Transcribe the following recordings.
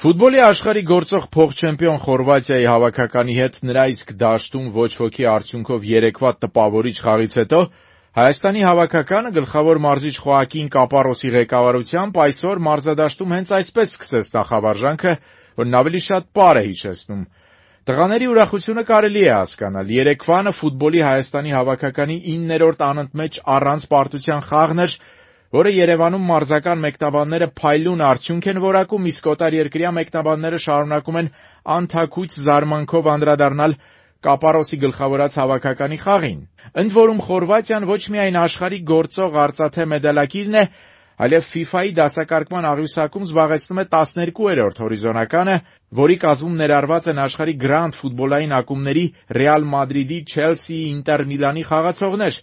Ֆուտբոլի աշխարհի գործող փոխ-չեմպիոն Խորվաթիայի հավաքականի հետ նրա իսկ դաշտում ոչ ոքի արդյունքով երեկվա տպավորիչ խաղից հետո Հայաստանի հավաքականը գլխավոր մարզիչ Խոակին Կապարոսի ղեկավարությամբ այսօր մարզադաշտում հենց այսպես սկսեց նախավարժանքը, որն ավելի շատ պար է հիշեցնում։ Տղաների ուրախությունը կարելի է հասկանալ։ Երեկվանը ֆուտբոլի Հայաստանի հավաքականի 9-րդ անընդմեջ առանց պարտության խաղն էր, որը Երևանում մարզական մեկնաբանները փայլուն արդյունք են որակում, իսկ օտարերկրյա մեկնաբանները շարունակում են անթաքույց զարմանքով անդրադառնալ Կապարոսի գլխավորած հավաքականի խաղին։ Ընդ որում Խորվաթիան ոչ միայն աշխարհի գործող արծաթե մեդալակիրն է, այլև FIFA-ի դասակարգման աղյուսակում զբաղեցնում է 12-րդ հորիզոնականը, որի կազմում ներառված են աշխարհի գրանդ ֆուտբոլային ակումբների Ռեալ Մադրիդի, Չելսիի, Ինտեր Միլանի խաղացողներ,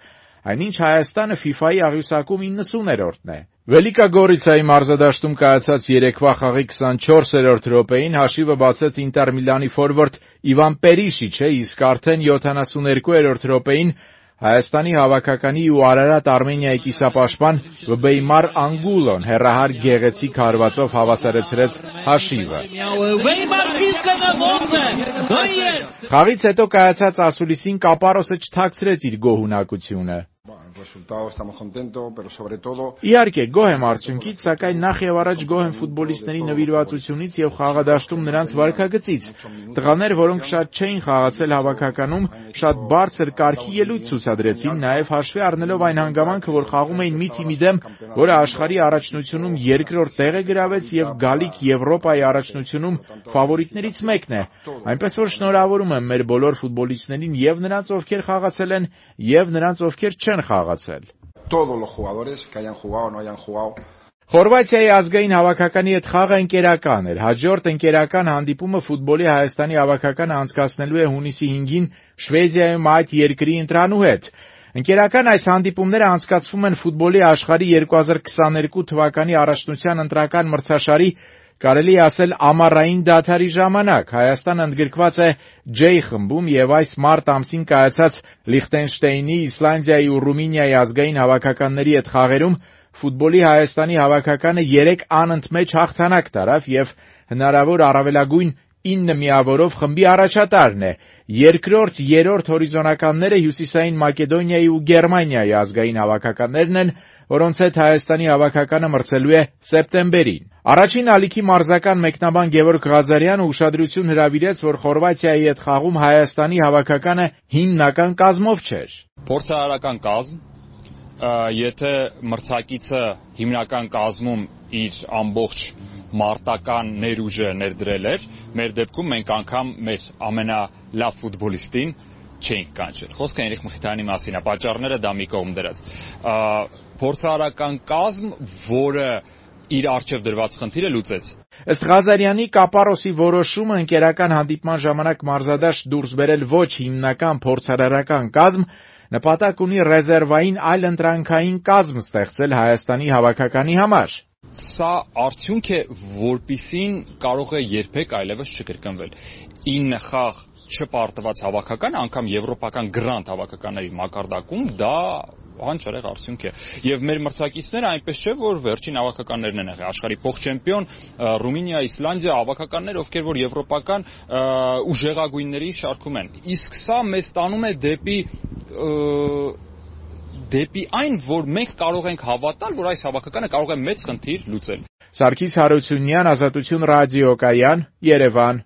այնինչ Հայաստանը FIFA-ի աղյուսակում 90-րդն է։ Վելիկա Գորիցայի մարզադաշտում կայացած երեկվա խաղի 24-րդ րոպեին հաշիվը բացեց Ինտեր Միլանի ֆորվարդ Իվան Պերիշիչը, իսկ արդեն 72-րդ րոպեին Հայաստանի հավաքականի ու Արարատ Արմենիայի կիսապաշտպան Վբեյմար Անգուլոն հեռահար գեղեցիկ հարվածով հավասարեցրեց հաշիվը։ Խաղից հետո կայացած ասուլիսին Կապարոսը չթաքցրեց իր գոհունակությունը։ Իհարկե, գոհ եմ արդյունքից, սակայն նախ եւ առաջ գոհ եմ ֆուտբոլիստների նվիրվածությունից եւ խաղադաշտում նրանց վարքագծից։ Տղաներ, որոնք շատ չէին խաղացել հավաքականում, շատ բարձր կարգի ելույթ ցուցադրեցին, նաեւ հաշվի առնելով այն հանգամանքը, որ խաղում էին մի թիմի դեմ, որը աշխարհի առաջնությունում երկրորդ տեղ է գրավեց եւ գալիք Եվրոպայի առաջնությունում ֆավորիտներից մեկն է։ Այնպես որ շնորհավորում եմ մեր բոլոր ֆուտբոլիստներին եւ նրանց, ովքեր խաղացել են, եւ նրանց, ովքեր չեն խաղացել։ Խորվաթիայի ազգային հավաքականի հետ խաղը ընկերական էր։ Հաջորդ ընկերական հանդիպումը ֆուտբոլի Հայաստանի հավաքականը անցկացնելու է հունիսի 5-ին Շվեդիայում այդ երկրի ընտրանու հետ։ Ընկերական այս հանդիպումները անցկացվում են ֆուտբոլի աշխարհի 2022 թվականի առաջնության ընտրական մրցաշարի, կարելի է ասել, ամառային դադարի ժամանակ։ Հայաստանը ընդգրկված է J խմբում եւ այս մարտ ամսին կայացած Լիխտենշտեյնի, Իսլանդիայի ու Ռումինիայի ազգային հավաքականների հետ խաղերում ֆուտբոլի Հայաստանի հավաքականը 3 անընդմեջ հաղթանակ տարավ եւ հնարավոր առավելագույն 9 միավորով խմբի առաջատարն է։ Երկրորդ, երրորդ հորիզոնականները Հյուսիսային Մակեդոնիայի ու Գերմանիայի ազգային հավաքականներն են, որոնց հետ Հայաստանի հավաքականը մրցելու է սեպտեմբերին։ Առաջին ալիքի մարզական մեկնաբան Գևորգ Ղազարյանը ուշադրություն հրավիրեց, որ Խորվաթիայի հետ խաղում Հայաստանի հավաքականը հիմնական կազմով չէր։ Փորձարարական կազմ, եթե մրցակիցը հիմնական կազմում իր ամբողջ մարտական ներուժը ներդրել էր, մեր դեպքում մենք անգամ մեր ամենալավ ֆուտբոլիստին չենք կանչել։ Խոսքը Հենրիխ Մխիթարյանի մասին է, պատճառները դա մի կողմ դրած։ Փորձարարական կազմ, որը իր առջև դրված խնդիրը լուծեց։ Ըստ Ղազարյանի, Կապարոսի որոշումը ընկերական հանդիպման ժամանակ մարզադաշտ դուրս բերել ոչ հիմնական փորձարարական կազմ նպատակ ունի ռեզերվային այլընտրանքային կազմ ստեղծել Հայաստանի հավաքականի համար։ Սա արդյունք է, որպիսին կարող է երբեք այլևս չկրկնվել։ 9 խաղ չպարտված հավաքական, անգամ եվրոպական գրանդ հավաքականների մակարդակում դա անճրեղ արդյունք է։ Եվ մեր մրցակիցները այնպես չէ, որ վերջին հավաքականներն են եղել, աշխարհի փոխ-չեմպիոն Ռումինիա, Իսլանդիա հավաքականներ, ովքեր որ եվրոպական ուժեղագույնների շարքում են։ Իսկ սա մեզ տանում է դեպի այն, որ մենք կարող ենք հավատալ, որ այս հավաքականը կարող է մեծ խնդիր լուծել։ Սարգիս Հարությունյան, Ազատություն ռադիոկայան, Երևան։